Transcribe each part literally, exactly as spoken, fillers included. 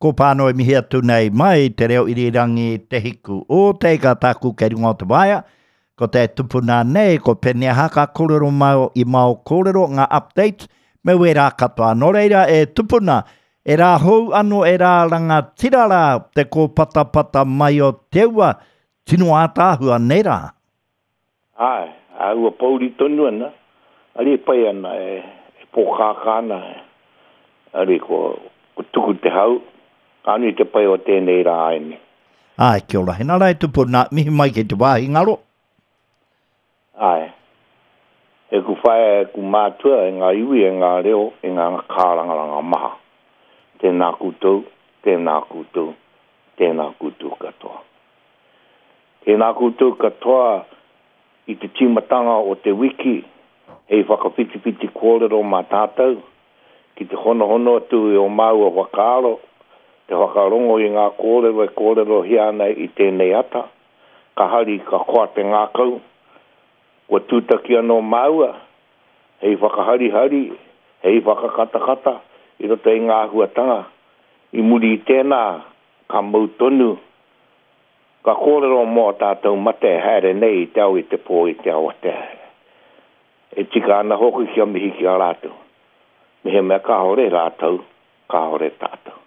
Ko pāno e mihi atu nei mai te reo irirangi te hiku o te ika tāku kei runga o te waea. Ko te tupuna nei, ko Peniaha ka kōrero mai i mao kōrero ngā updates me wērā katoa. Nō reira e tupuna, e rā hou ano e rā rangatira rā te kōpatapata mai o te ua, tino ātaahua nei rā. Āe, a ua pouri tonu ana, ari e pai ana, e, e pōkākā ana, ari ko, ko tuku te hau, ka nui te pai o tēnei rā aene. Āe, kia ora. Hena rā e tupuna, mihi mai ki te wāhi ngaro. Āe, e ku whaea, e ku mātua, e ngā iwi, e ngā reo, e ngā kārangaranga maha. Tēnā koutou, tēnā koutou, tēnā koutou katoa. Tēnā koutou katoa i te tīmatanga o te wiki, hei whakawhitiwhiti kōrero mā tātou, ki te honohono atu i o māua whakaaro, te whakarongo i ngā kōrero e kōrerohia ana i tēnei ata, ka hari ka koa te ngākau, kua tūtaki anō māua, hei whakaharihari, hei whakakatakata i roto i ngā āhuatanga, i muri i tēnā, ka mau tonu, ka kōrero mō tātou mate e haere nei i te ao i te pō i te awatea. E tika ana hoki kia mihi ki a rātou. Mehemea kāore rātou, kāore tātou.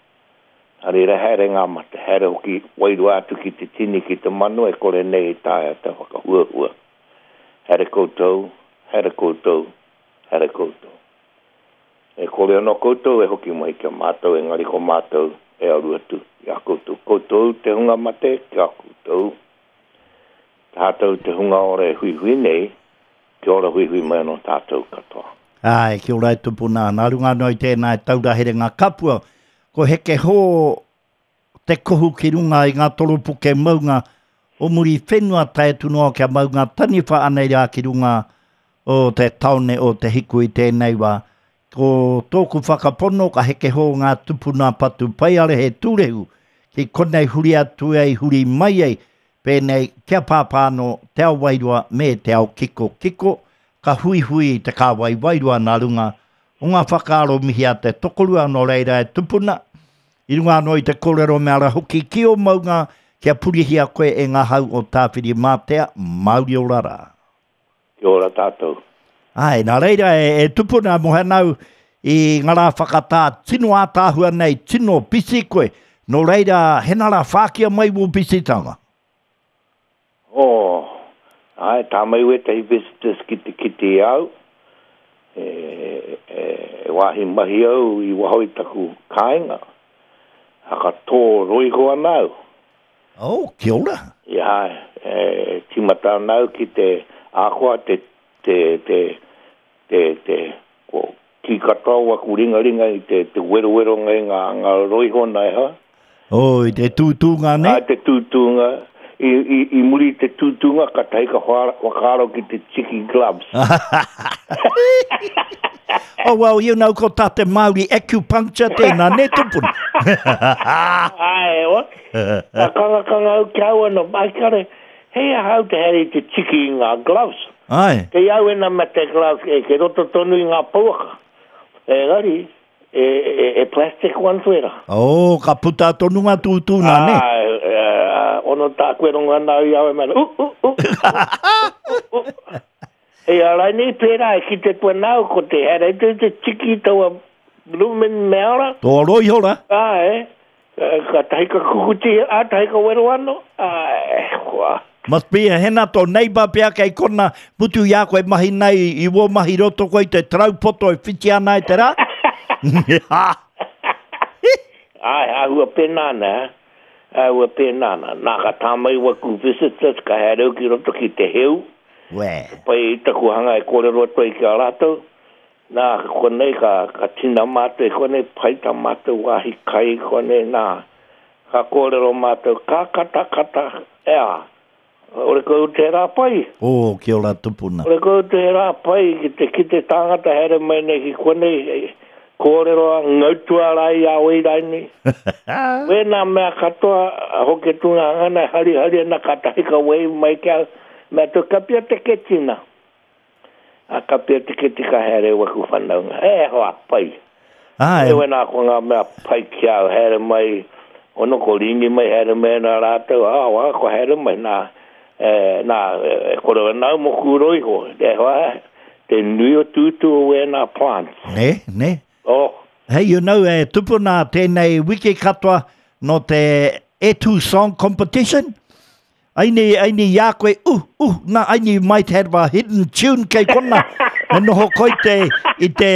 Nā reira haere ngā mate, haere hoki wairua atu ki te tini ki te mano e kore nei i taea te whakahuahua. Haere koutou, haere koutou, haere koutou. E kore anō koutou e hoki mai ki a mātou, engari ko mātou e aru atu i a koutou. Koutou te hunga mate ki a koutou. Tātou te hunga ora e huihui nei, kia ora huihui mai anō tātou katoa. Āe, kia ora e tupuna. Nā runga anō i tēnā e taura herenga kapua, ko heke hō te kohu ki runga i ngā toropuke maunga o muri whenua tae atu noa kia maunga taniwha anei rā ki runga o te taone o te hiku i tēnei wā. Ko tōku whakapono ka heke hō ngā tupuna patu paiare he tūrehu ki konei huri atu ai, huri mai ai, pēnei kia pāpā anō te ao wairua me te ao kiko kiko, ka huihui i te kāwai wairua nā runga o ngā whakaaro mihi a te tokorua nō reira e tupuna, i runga anō i te kōrero me ara hoki ki o maunga kia purihia koe e ngā hau o Tāwhirimātea, Māori ora rā. Kia ora tātou. Āe, nā reira e, e tupuna mō hanau i ngā rā whakatā tino ātaahua nei, tino pisi koe. Nō reira, hena rā whākia mai wō pisitanga? Oh, āe, tā mai wētahi visitors ki te kite i au. E, e, e wāhi mahi au i waho i taku kāinga. Haka tō roiho ana au. Oh, kia ora. Ia, e, tīmata ana au ki te ākoa te, te, te, te, te, ko, ki katoa waku ringaringa i te, te weroweronga i ngā, ngā roiho nei ha. Oh, i te tūtūnga nei? Ai, te tūtūnga. I, i, i muri i te tūtūnga, ka tahi ka whakaaro ki te tiki gloves. Oh, well, you know, ko tā te Māori acupuncture tēnā, ne tupuna? Ai, o. Ka kangakanga au ki au anō, ai kare, hei ahau te haere i te tiki i ngā gloves. Ai. Kei au ena me te gloves, e, kei roto tonu i ngā pouaka. Engari, e, e, e plastic ones wera. Oh, ka puta tonu ngā tūtūnā, ne? Ai, e, ono tā koe rongo ana au i au e mena, u, u, u, u, u, u. Hei a rainei pērā e kite koe nāu ko te haere te te tiki taua bloomin' meara. Tō roiho rā. Āe, ka tahi ka kukuti, ā, tahi ka wero anō, āe, kua. Must be a hena tō neighbour pea kei kona mutu i a koe mahi nei i wō mahi roto koe i te tarau poto e whiti ana i te rā. Āe, āhua pēnā ana, āhua pēnā ana. Nā, ka tā mai waku visitors, ka haere au ki roto ki te heu. Wē. Pai i taku hanga e kōrero atu ai ki a rātou. Nā, konei ka, ka tina mātou i konei, pai tā mātou wāhi kai konei, nā, ka kōrero mātou, ka kata kata, ea, ore kau te rā pai. Oh, kia ora tupuna. Ore kau te rā pai ki te kite tāngata haere mai nei ki konei, kōrero a ngautua rā i a wei raini. Wēnā mea katoa, hoki tūnga ngana, hari hari ana ka tahi ka wei mai ki au, mea tō kapia te ketina. A kapia te keti ka haere waku whanaunga. E hoa, pai. Ai. E wena ko ngā mea pai ki au, haere mai, ono ko ringi mai, haere mai nā rātou, ah, wā, ko haere mai, nā, e, nā, e, kore nau mo kūro iho, te hoa, te nui o tūtū o wēnā plants. Ne, ne. Oh. Hey, you know, e tupuna tēnei wiki katoa no te E two Song Competition. Aini, aini ia koe, uh, uh, nā, aini you might have a hidden tune kei kona. Me noho koe te, i te,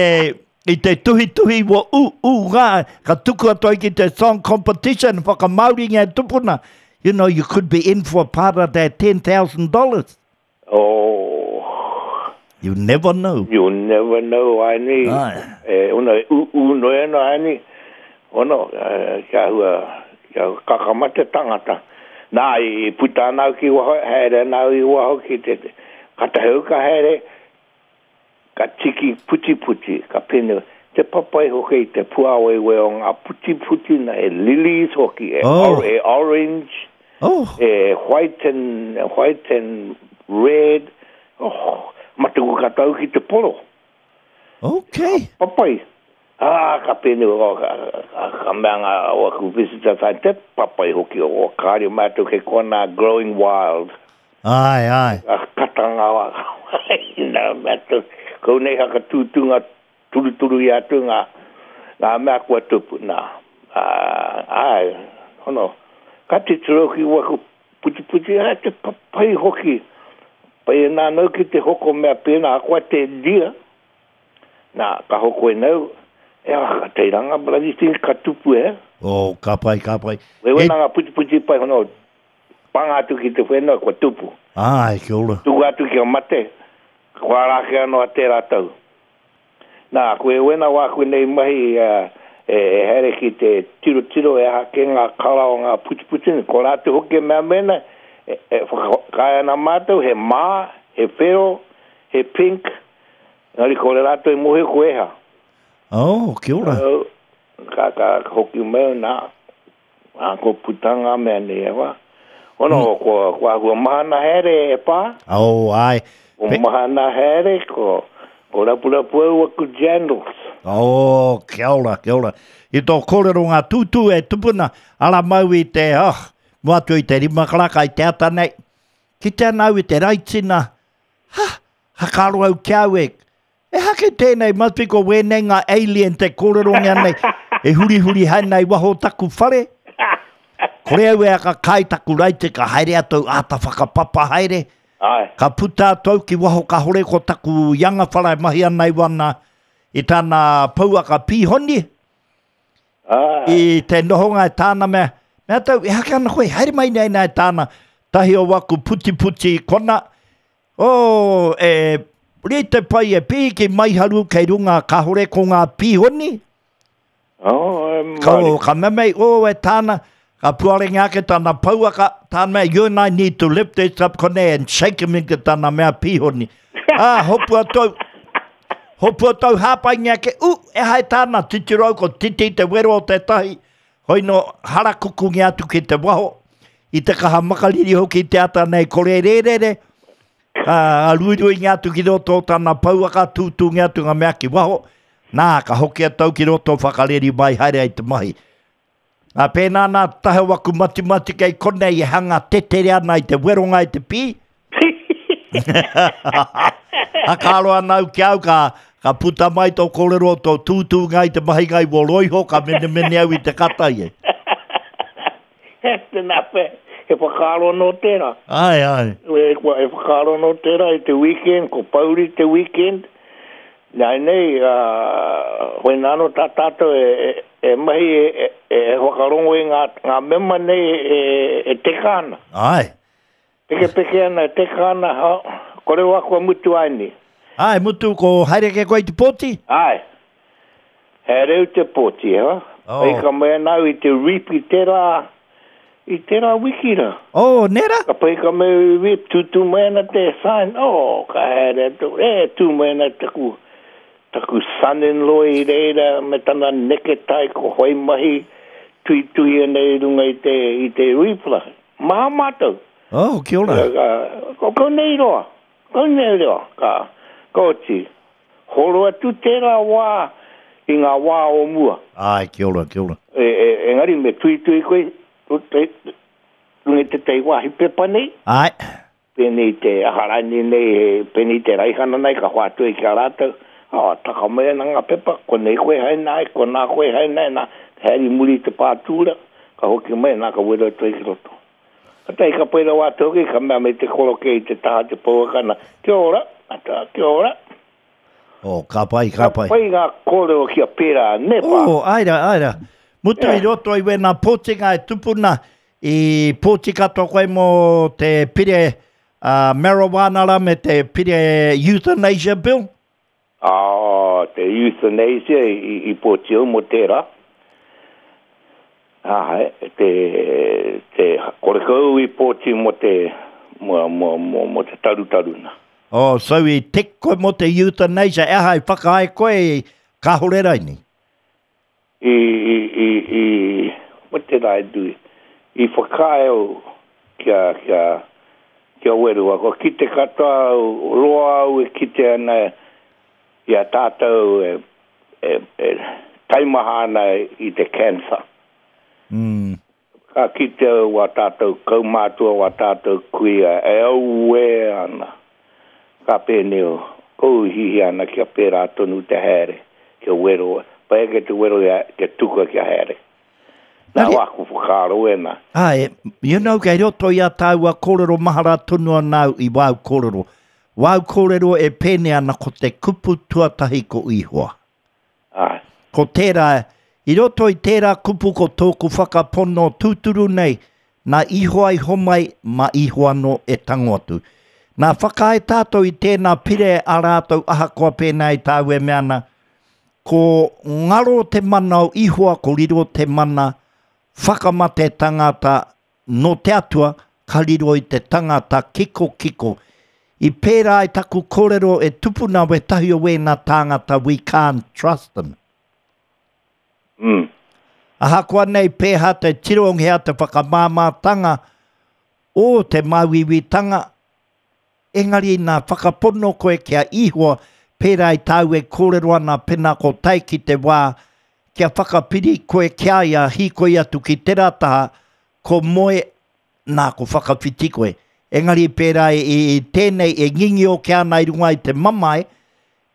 i te tuhituhi wa uh, uh, ngā, ka tuku atu ai ki te song competition, whakamāori ngā tupuna. You know, you could be in for part of that ten thousand dollars. Oh. You never know. You never know, aini. Ai. E, ona, u, u, no e no, aini. Ono, eh, kia hua, kia kakamate tangata. Nā, i puta anau ki waho, haere anau i waho ki te, ka taheu ka haere, ka tiki puti puti, ka pene, te papai hoki, te puawewe o ngā puti puti na e lilies hoki, e, Oh. or, e orange, Oh. e white and, white and red, oh, matuku ka tau ki te poro. Okay. Papai. Ah, ka pene, oh, ka, ka, ka mea ngā o aku visitor tai te papai hoki o, o kāri mātou ke kona growing wild. Ai, ai. Ka kata ngā wā. Nā mātou, kau nei haka tūtū ngā turuturu i atu ngā, ngā mea kua tupu, nā. Ah, ai, hono, ka te tiro ki waku puti puti, ai te papai hoki. Pai e nā nau ki te hoko mea pēnā, koa te dia. Nā, ka hoko e nau, e ah, ka teiranga, bloody thing, ka tupu e. Oh, ka pai, ka pai. Wewe E- nā ngā puti puti pai hono, panga atu ki te whenua, kua tupu. Ai, kia ora. Tuku atu ki a mate, kua rāke anō a tērā tau. Nā, koe wena wā koe nei mahi uh, e, e here ki te tiro tiro e hake ngā kara o ngā puti puti, ko rātou hoki e mea mena, e, e whakaea ana mātou, he mā, he whero, he pink, engari ko le rātou e mohi ko eha. Oh, kia ora. Oh, ka, ka hoki mai nā, nā ko putanga mea nei e wā. Ono, mm. ko, ko ahua mahana here e pā. Oh, ai. Ko Pe- mahana here, ko, ko rapurapu au aku jandals. Oh, kia ora, kia ora. I tō kōrero ngā tūtū e tupuna, ara mau i te, oh, mua atu i te rima karaka i te ata nei. Ki te anau i te raitina, ha, hakaro au kia au e. E hake tēnei, must be ko wēnei ngā alien te kōrero ngā nei. E huri huri hai nei waho taku whare. Kore au e aka kai taku raite ka haere atu āta whakapapa haere. Ai. Ka puta atu ki waho ka hore ko taku ianga whara e mahi ana i wana i tāna pouaka pīhoni. Ai. I te nohonga e tāna mea, mea tau, e hake ana koe, haere mai nei nei tāna, tahi o waku puti puti kona, o, e, re te pai e pī ki maiharu kei runga ka hore ko ngā pīhoni. Oh, e Ka, mari. ka mea mei, o, e tāna, ka puarenga ake tāna pouaka, tāna mea, you and I need to lift this up kone and shake him into tāna mea pīhoni. Ah, hopu atu, hopu atu hāpainga ake, u, e hai tāna, titiro ko titi te wero o te tahi, hoi no harakuku ngi atu ki te waho, i te kaha makariri hoki te ata nei kore rērere, ka ruirui ngi atu ki roto o tāna pouaka, tūtū ngi atu ngā mea ki waho, nā, ka hoki atau ki roto whakareri mai haere ai te mahi. Nā pēnā nā tahe waku matimati kei konei e hanga tetere ana i te weronga i te pī. Hakaro ana au ki au ka, ka puta mai tō kōrero tō tūtū ngai te mahi ngai wō roiho ka mene mene au i te kata i e. Tēnā pe, he whakaaro no tērā. Ai, ai. E, kua, e whakaaro no tērā i te weekend, ko pauri te weekend. Nā nei, uh, hoi nāno tā tātou e, e, e mahi e, e, e whakarongo i ngā, ngā mema nei e, e teka ana. Ai. Peke peke ana, e teka ana, ha, kore wā kua mutu ai ni. Ai, mutu ko haere ke koe i te pōti? Ai. He reu te pōti, ha? Oh. Ai ka mea nau i te reap i tērā, i tērā wiki rā. Oh, nera? Ka pai ka mea i reap, tūtū mai ana te sign, oh, ka haere atu, e, tū mai ana taku, taku son-in-law i reira, me tana neketai ko hoi mahi, tui tui ana i runga i te, i te reap la. Maha mātou. Oh, kia ora. Ka, ko kau nei roa, kau nei roa, ka, ka oti. Horo atu tērā wā, i ngā wā o mua. Ai, kia ora, kia ora. E, e, engari me tuitui koe, runga i te tei wāhi pepa nei. Ai. Pēnei te aharani nei, pēnei te raihana nei, ka hoatu e ki a rātou. Ah, taka mai ana ngā pepa, ko nei koe hai nai, ko nā koe hai nai, nā, haere muri te pātūra, ka hoki mai, nā, ka wero atu ai ki roto. Ka tahi ka pai rawa atu hoki, ka mea me te koroke i te taha te pouakana, kia ora, ata, kia ora. Oh, ka pai, ka pai. Ka pai ngā kōrero kia pērā, ne pā. Oh, aira, aira. Mutu Yeah. i roto i wēnā pōtinga e tupuna, i pōti katoa koe mō te pire uh, marijuana rā me te pire euthanasia bill. Ah, te euthanasia i, i, i pōti au mō tērā. Ah, te, te korekau i pōti mō te, mō, mō, mō, mō te tarutaruna. Oh, so i tik koe mō te euthanasia, e aha i whakahae koe i kāhore raini. I, i, i, i, what did I do? I whakae au kia, kia, kia werua. Ko kite katoa au, roa au e kite ana i a tātou e, e, e taimaha ana i te cancer. Mm. Ka kite au wā tātou kaumātua, wā tātou kuia, e au e ana. Ka pēnei o, kou hihi ana kia pērā tonu te haere, kia wero, pai ke te wero ia, kia tuka kia haere. Nā Nari- wāku whakaaro e nā. Ai, you know, kei roto i a tāua kōrero mahara tonu ana au i wāu kōrero. Wāu kōrero e pēne ana ko te kupu tuatahi ko Ihoa. Ai, Ko tērā, i roto i tērā kupu ko tōku whakapono tūturu nei, nā Ihoa i homai, ma Ihoa no e tango atu. Nā whakae tātou i tēnā pire a rātou ahakoa pēnā i tāu e mea ana, ko ngaro te mana o Ihoa, ko riro te mana whakamate tangata no te atua, ka riro i te tangata kiko kiko. I pērā i taku kōrero e tupuna wetahi o wēnā tāngata, we can't trust them. mm. Ahakoa nei pēhā te tironghea te whakamāmātanga o te māuiuitanga, engari nā whakapono koe kia Ihoa, pērā i tāu e kōrero ana pēnā ko tai ki te wā, kia whakapiri koe kia ia hīkoi atu ki tērā taha, ko moe nā ko whakawhiti koe. Engari pērā i, i tēnei e ngingio kia ana i runga i te mamae,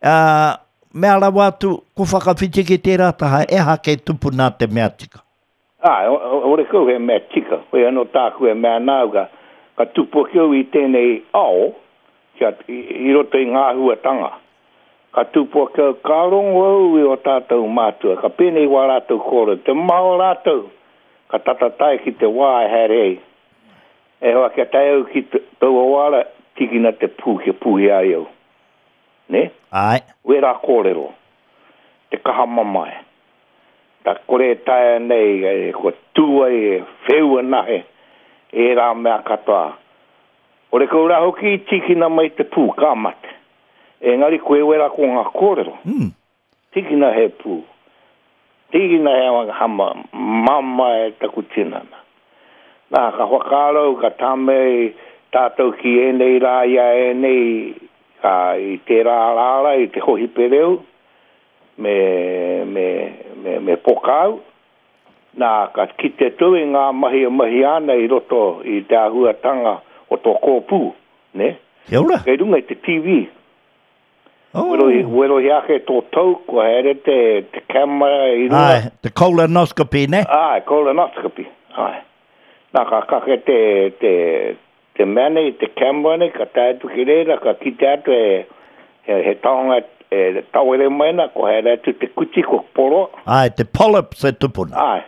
uh, mea rawa atu ko whakawhiti ki tērā taha, e hake tupuna te mea tika. Ai, ore kau he mea tika, koe anō tāku e mea nāu ka, ka tupu ake au i tēnei ao, kia, i, i roto i ngā huatanga. Ka tupu ake au, ka rongo au i o tātou mātua, ka pēnei wā rātou kōrero, te maha o rātou, ka tatatai ki te wā e haere ei. E hoa kia tae au ki te- taua wāra, tikina te pū kia pūhi ai au. Ne? Ai, Wera kōrero, te kaha mamae. Ta kore e taea nei, e, kua tū ai e wheua nahe, e rā mea katoa. Ore kau rā hoki i tikina mai te pū, ka mate. Engari koe wera ko ngā kōrero. mm. Tikina he pū. Tikina he hama, mamae taku tinana. Nā, ka whakaaro, ka tāmei tātou ki ēnei rā ia ēnei, ka i tērā rāra, i te hohipereu, me, me, me, me pokau. Nā, ka kite tau i ngā mahi e mahi ana i roto i te āhuatanga o tō kōpū, ne? Kia ora. Kei runga i te T V. Oh. Werohi, werohi ake tō tau, kua haere te, te camera i runga. Ai, te colonoscopy, ne? Ai, colonoscopy. Ai. Nā, ka kake te, te, te mea nei, te camera nei, ka tae atu ki reira, ka kite atu e, he, he taonga e tawere mai na, ko haere atu te kuti, ko poro. Ai, te polyps e tupuna. Ai.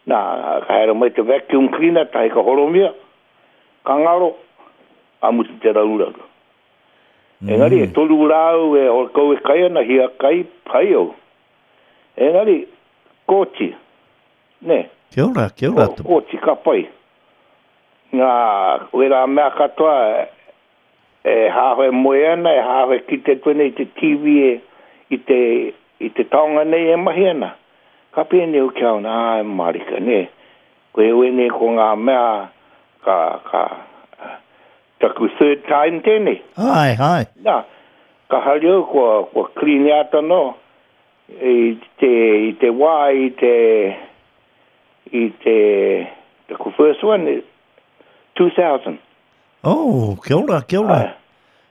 Nā, ka haere mai te vacuum cleaner, tahi ka horomia, ka ngaro, a mutu te rauraru. Mm. Engari, e toru rāu e o kau e kai ana, hia kai, pai au. Engari, kōti, ne? Kia ora, kia ora. Ko, kōti ka pai. Ngā, wera mea katoa, e hāhoe moe ana, e hāhoe kite tue nei te T V e, i te, i te taonga nei e mahi ana. Ka pēnei o kia ona, ai marika, ne? Ko e wene ko ngā mea, ka, ka, taku third time tēnei. Ai, ai. Nā, ka hari au kua, kua clean ata no, I te, i te wā, i te, i te, the first one, two thousand. Oh, kia ora, kia ora.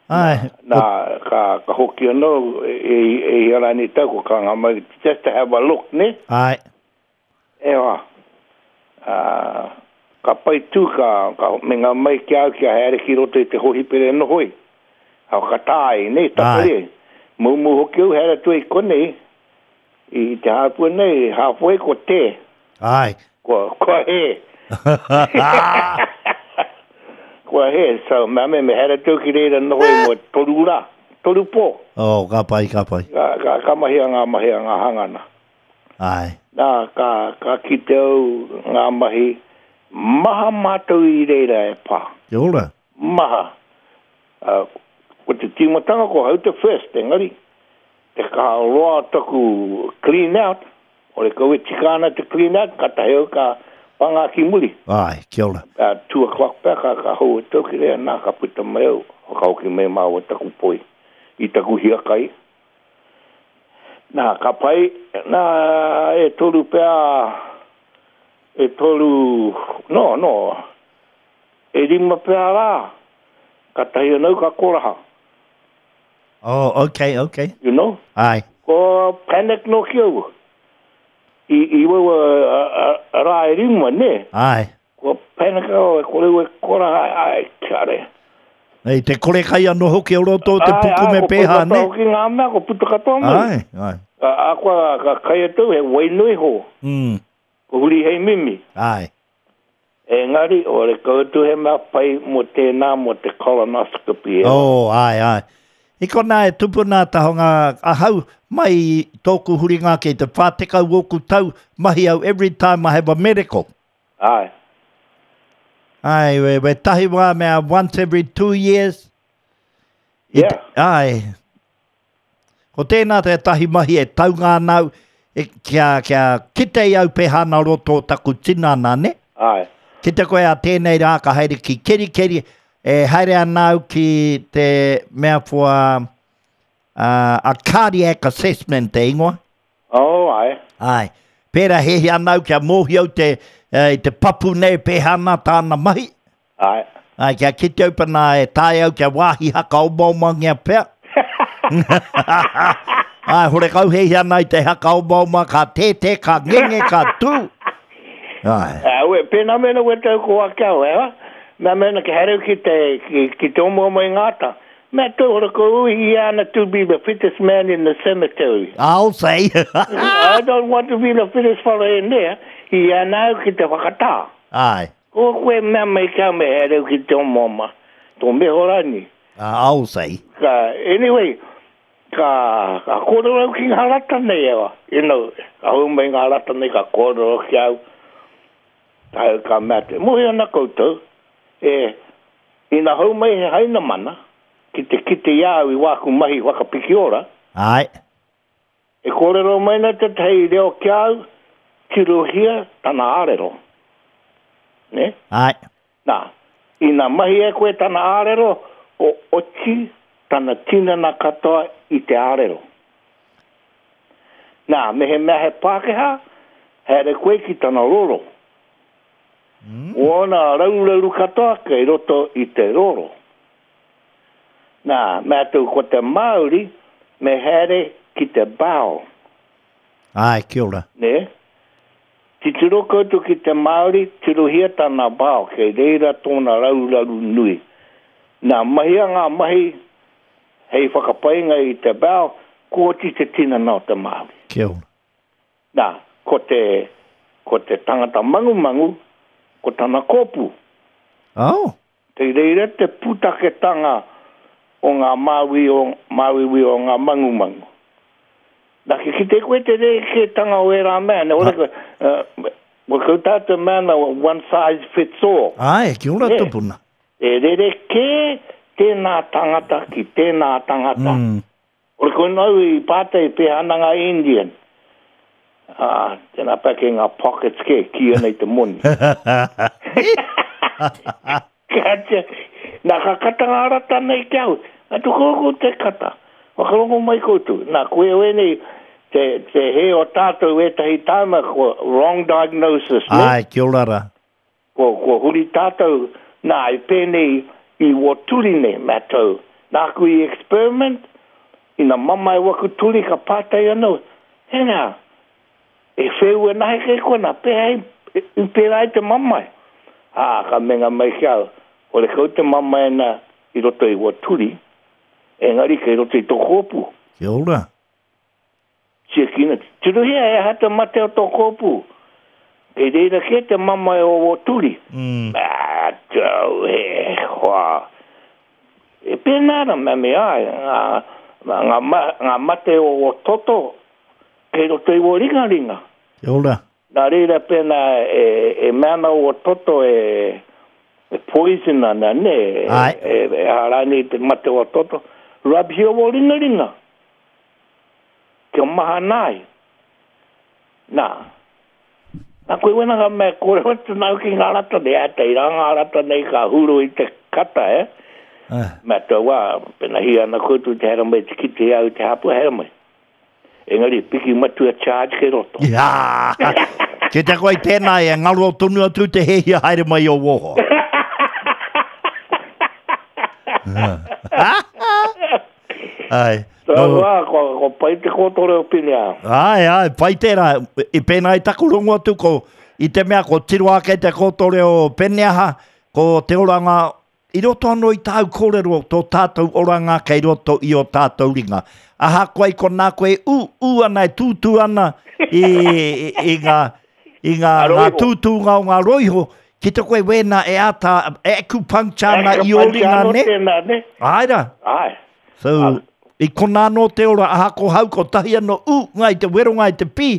Ai. Ai. Nā, ka, ka hoki anō, e, e i arani tau, ko ka ngā mai, just to have a look, ne? Ai. E wā. Uh, ka pai tū, ka, ka me ngā mai ki au kia haere ki roto i te hohipere nohoi. Hau ka tāi, ne, tapere. Mumu hoki au haere atu i konei, i te hāpua nei, halfway ko te. Ai. Ko, ko he. Kua he, so mea me me haere atu ki reira nohoi mo toru rā, toru pō. Oh, ka pai, ka pai. Ka, ka, ka mahi a ngā mahi a ngā hangana. Ai. Nā, ka, ka kite au ngā mahi, maha mātou i reira e pā. Kia ora. Maha. Uh, ko te tīmatanga ko hau te first, engari, te ka roa taku clean out, ore kau e tika ana te clean out, ka tahi au ka panga ki muri. Ai, kia ora. Uh, two o'clock pea, ka, ka hou e tau ki rea, nā, ka puta mai au, whakahoki mai māua taku poi, i taku hiakai. Nā, ka pai, nā, e toru pea, e toru, no, no, e rima pea rā, ka tahi anau ka koraha. Oh, okay, okay. You know? Ai. Ko panic no ki au. I, i waua a, a, a rā e rima, ne? Ai. Ko panic au, e kore ue koraha, ai, kare. Ei, te kore kai anō hoki o roto o te puku me pēhā, ne? Ai, ai, ko puta hoki ngā mea, ko puta katoa mai. Ai, ai. A, a kua, ka kai atu, he wainui ho. Mm. Ko huri hei mimi. Ai. Engari, o re kau atu he mea pai mo tēnā, mo te colonoscopy. E. Oh, ai, ai. I kona e tupuna tahonga ahau mai tōku huringa ki te whātekau oku tau mahi au every time I have a medical. Ai. Ai, we, we tahi wā mea once every two years. Yeah. I, ai. Ko tēnā te tahi mahi e taunga anau, e, kia, kia kite i au pehana roto taku tinana, ne? Ai. Kite koe a tēnei rā ka haere ki kerikeri, e haere anau ki te mea for a, a cardiac assessment te ingoa. Oh, ai. Ai. Pērā hehi anau kia mōhi au te, e, te papu nei pehana tāna mahi. Ai. Ai, kia kite au pana e tae au kia wāhi haka omaomangia pea. Ai, hore kau hehi ana i te haka omaoma, ka tētē, ka ngenge, ka tū. Ai. Uh, we, pēnā mena we tau ko ake au, eh? Mea mena ke haere ki te, ki, ki te omo i ngāta. Mea tau hore ko ui i ana to be the fittest man in the cemetery. I'll say. I don't want to be the fittest fellow in there. I ana au ki te whakatā. Ai. Ko koe mea mai ka me haere ki te omaoma. Tō mehorani. Uh, I'll say. Ka, anyway, ka, ka kōrero au ki ngā rata nei ewa. You know, ka hau mai ngā rata nei ka kōrero ki au. Ka, ka mea te, mohi ana koutou, e, ina hau mai he haina mana, ki te kite i au i wāku mahi whakapiki ora. Ai. E kōrero mai na te tei reo ki au, tirohia tana ārero. Ne? Ai. Nā, ina mahi e koe tana ārero, o oti tana tinana katoa i te ārero. Nā, me he mea he Pākehā, haere koe ki tana roro. Mm. Ona raurauru katoa kei roto i te roro. Nā, mea tau ko te Māori, me haere ki te bao. Ai, kia ora. Ne? Titiro koutou ki te Māori, tirohia tana bao, kei reira tōna rauraru nui. Nā, mahia ngā mahi hei whakapainga i te bao, ko oti te tinana o te Māori. Kia ora. Nā, ko te, ko te tangata mangumangu, ko tana kōpū. Oh. Te reira te pūtaketanga o ngā māui o, māuiui o ngā mangumangu. Nā, ki kite koe te rerekētanga o e rā mea, ne ora koe, uh, wa kau tātou mea na one size fits all. Ai, kia ora Ne. tupuna. E rerekē tēnā tangata ki tēnā tangata. Mm. Ora koe nau i pātai pēhana ngā Indian. Ah, tēnā pea ke ngā pockets ke, ki ana i te moni. Kātia, nā ka kata ngā rata nei ki au. Atu koukou te kata. Whakarongo mai koutou. Nā, koe oe nei, Te, te he o tātou ētahi tāma ko wrong diagnosis, ne? Ai, kia ora rā. Ko, ko huri tātou, nā, i pēnei i o turi nei, mātou. Nāku i experiment, ina mamae waku turi ka pātai anō, hena, e wheu e nahe kei kona, pēhea i, i pērā i te mamae. Ā, ka menga mai ki au, o le kau te mamae na i roto i o turi, engari kei roto i tō kōpū. Kia ora. Tiakina, tirohia e aha te mate o tō kōpū. Kei reira kē te mamae o o turi. Mm. Mātou, he hoa. E pēnā ana, mea me ai, ngā, ngā, ngā mate o o toto, kei roto i o ringaringa. Kia ora. Nā reira pēnā e, e mea ana o toto e, e poison ana, ne? Ai. E, e, e harani te mate o toto. Rub hia o ringaringa. Kia mahana ai. Nā. Nā koe wena ka mea kōrero atu nau ki ngā rata nei, a te ira ngā rata nei ka huro i te kata, eh? Ah. Mea tau wā, pena hia ana koutou te hera mai te kite au te hapu hera mai. Engari, piki matua charge ke roto. Ja! Ke te koe tēnā e ngaro tonu atu te hehia haere mai o woho. Ai. So, No, wā, ko, ko pai te kōtore o Pinea. Ai, ai, pai tērā. I pēnā i taku rongo atu ko, i te mea ko tiro ake te kōtore o Peneaha, ko te oranga, i roto anō i tāu kōrero tō tātou oranga kei roto i o tātou ringa. Aha koe ko nā koe ū, ū ana e tūtū ana i, i, i ngā, i ngā, ngā tūtūnga o ngā roiho, ki te koe wēnā e āta, e acupuncture ana i o ringa Acupuncture ne? Tēnā, ne? Ai rā. Ai. So, i kona anō te ora, aha ko hau, ko tahi anō, ū, ngai te wero, ngai te pī,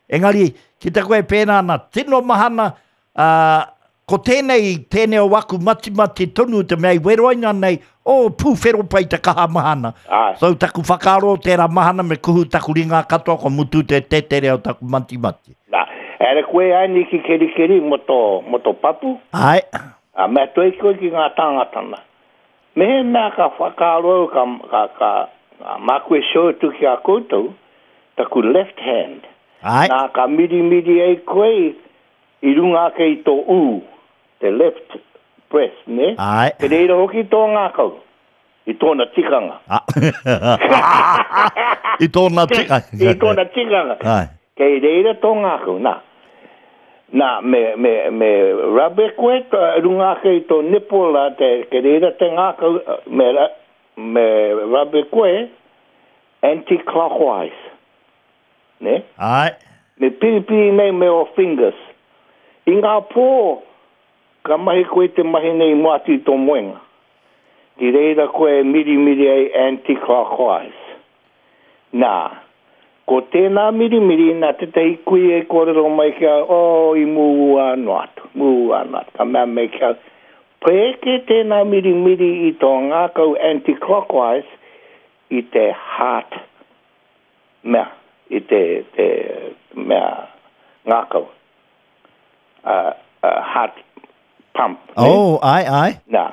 engari, ki te koe pēnā ana, tino mahana, uh, ko tēnei, tēnei o waku matimati tonu te mea i weroina nei, o, pūwhero pai te kaha mahana. Ai. So, taku whakaaro tērā mahana me kuhu taku ringa katoa, ko mutu te tetere o taku matimati. Nā, ere koe ai ni ki kerikeri mo tō, mo tō papu, Ai, a mea toi koe ki ngā tāngatana. Me he mea ka whakaaro au, ka, ka, ka, ka māku e show atu ki a koutou, taku left hand. ai, Nā, ka mirimiri ai koe i runga ake i tō ū, te left breast, ne? ai. Te reira hoki tō ngākau, i tōna tikanga. Ah. I tōna tikanga. I tōna tikanga. Ai. Kei reira tō ngākau, nā. Nā, me, me, me rub e koe, tō, runga ake i tō nipple, a te, kei reira te ngākau, me, ra- me rub e koe, anti-clockwise. Ne? Ai. Me piripiri nei me o fingers. I ngā pō, ka mahi koe te mahi nei mua atu i tō moenga. Ki reira koe mirimiri ai anti-clockwise. Nā, ko tēnā mirimiri nā tētahi kui e kōrero mai kia, oh, i mū anō atu, mū anō atu. Ka mea mai kia, pēke tēnā mirimiri i tō ngākau anti-clockwise i te heart mea, i te, te mea ngākau. Uh, uh, heart pump. ne? Oh, ai, ai. Nā.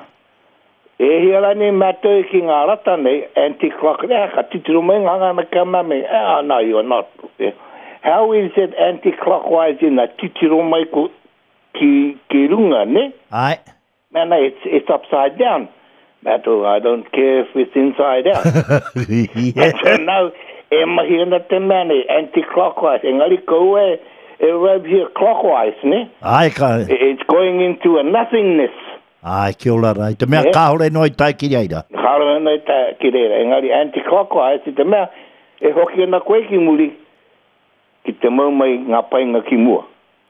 E hia rani mātou ki ngā rata nei, anti-clock, eh, ka titiro mai ngā ngana ka mame, ah, no, you're not. Eh, How is it anti-clockwise in a titiro mai ko, ki, ki runga, ne? Ai. Man, it's, it's upside down. Mātou, I don't care if it's inside out. Yeah. Now, e mahi ana te mea nei, anti-clockwise, engari kau e, e rub here clockwise, ne? Ai, ka... It's going into a nothingness. Ai, kia ora rā. I te mea Eh? kāore noa i tae ki reira. Kāore ana i tae ki reira. Engari anti-clockwise, i te mea, e hoki ana koe ki muri, ki te mau mai ngā painga ki mua.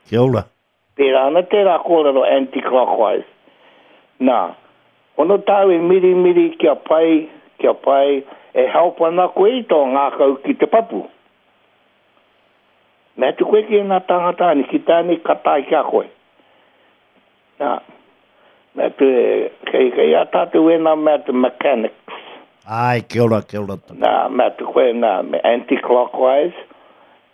Kia ora. Pērā ana tērā kōrero anti-clockwise. Nā, ono tāu e mirimiri kia pai, kia pai, e help ana koe i tō ngākau ki te papu. Mea tu koe ki ngā tāngata ani, ki tāni ka tae ki a koe. Nā, mea tu, kei, kei a tātou e nā mea te mechanics. Ai, kia ora, kia ora. Nā, mea tu koe nā, me anti-clockwise,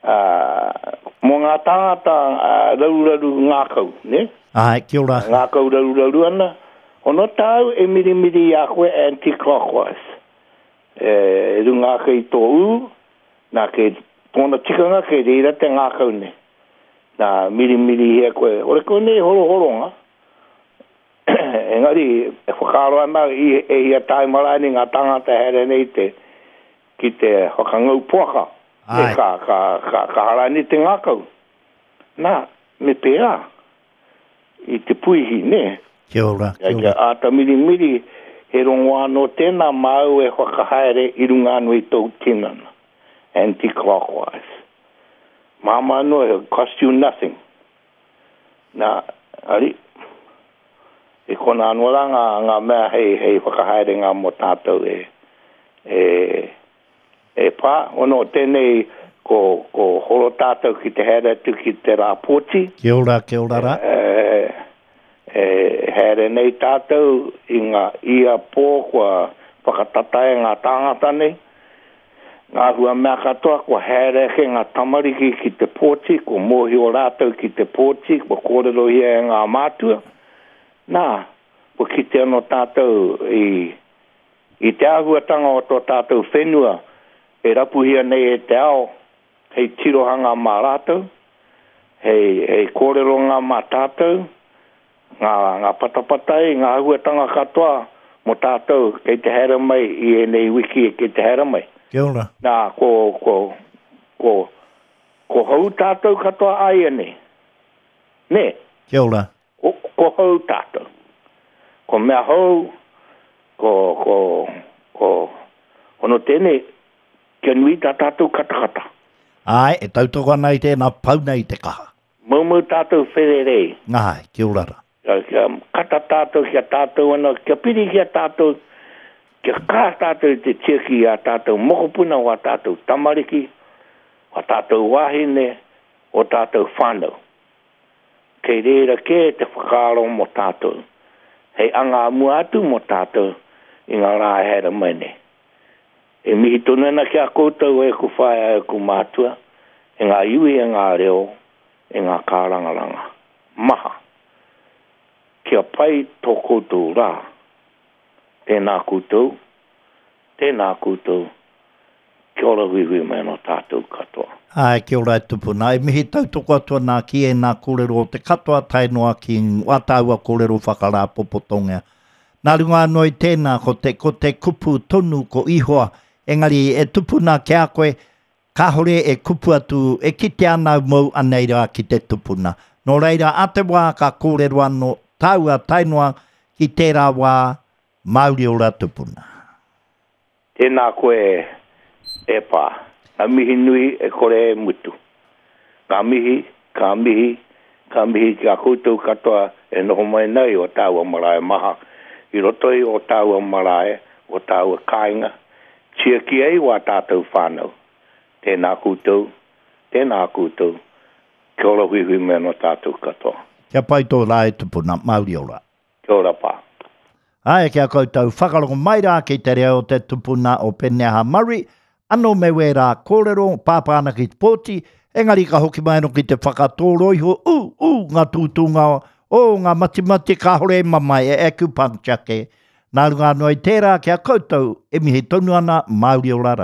uh, mō ngā tāngata uh, rauraru ngākau, ne? Ai, kia ora. Ngākau rauraru ana, ono tāu e mirimiri i a koe anti-clockwise. E, runga ake i tō ū, nā ke Tōna tikanga kei reira te ngākau nei. Nā, mirimiri hea koe. Ore koe nei horohoronga. Engari, e whakaaro ana i, e hia taima rānei ngā tāngata haere nei te, ki te whakangau poaka. E Ai. ka, ka, ka, ka harani te ngākau. Nā, me pērā i te puihi, nē? Kia ora, Kia, kia kia ora. āta mirimiri, he rongoā anō tēnā māu e whakahaere i runga anō i tōu tinana. Anti-clockwise. Māmā anō, it cost you nothing. Nā, ari, i kona anō rā ngā, ngā mea hei, hei whakahaerenga mō tātou e, e, e pā. Ono, tēnei ko, ko horo tātou ki te haere atu ki te rā pōti. Kia ora, kia ora rā. E, e, haere nei tātou i ngā ia pō kua whakatata e ngā tāngata nei. Ngā hua mea katoa kua haere ake ngā tamariki ki te pōti, kua mōhio rātou ki te pōti, kua kōrerohia e ngā mātua. Nā, kua kite anō tātou i, i te āhuatanga o tō tātou whenua e rapuhia nei e te ao, hei tirohanga mā rātou, hei, hei kōreronga mā tātou, ngā, ngā patapatai, ngā āhuatanga katoa mō tātou kei te haere mai i ēnei wiki kei te haere mai. Kia ora. Nā, ko, ko, ko, ko hou tātou katoa āianei. Nē? Kia ora. Ko, ko hou tātou. Ko mea hou, ko, ko, ko, ono tēnei, kia nui tā tātou katakata. Ai, e tautoko ana i tēnā pau nei te kaha. Maumau tātou whererei. Ai, kia ora rā. Kia, kia kata tātou, kia tātou ana, kia piri kia tātou, kia kaha tātou i te tiaki i a tātou mokopuna, o a tātou tamariki, o a tātou wāhine, o tātou whānau. Kei reira kē te whakaaro mō tātou. Hei anga mua atu mō tātou i ngā rā e haere mai nei. E mihi tonu ana ki a koutou e ku whaea e ku mātua, e ngā iwi e ngā reo, e ngā kārangaranga. Maha. Kia pai tō koutou rā. Tēnā koutou, tēnā koutou, kia ora huihui mai anō tātou katoa. Ai, kia ora e tupuna. E mihi tautoko atu ana ki e nā kōrero o te katoa tae noa ki wā tāua kōrero whakarāpopotonga. Nā runga anō i tēnā, ko te, ko te kupu tonu ko Ihoa, engari e tupuna ki a koe, kāhore e kupu atu, e kite ana au mou anei rā ki te tupuna. Nō reira, a te wā ka kōrero anō tāua tae noa ki tērā wā, Mauri ora tupuna. Tēnā koe e pā. Ngā mihi nui e kore e mutu. Ngā mihi, ka mihi, ka mihi ki a koutou katoa e noho mai nei o tāua marae maha. I roto i o tāua marae, o tāua kāinga, tiaki ai wā tātou whānau. Tēnā koutou, tēnā koutou, kia ora huihui mai anō tātou katoa. Kia pai tō rā e tupuna, mauri ora. Kia ora pā. Ai, kia koutou whakarongo mai rā ki te reo te tupuna o Peneha Murray, anō me wērā kōrero, pāpā ana ki te pōti, engari ka hoki mai anō ki te whakatōro iho, ū, ū, ngā tūtūnga, o, ngā matimati kāhore e mamae, e acupuncture ke. Nā runga anō i tērā kia koutou, e mihi tonu ana, mauri ora rā.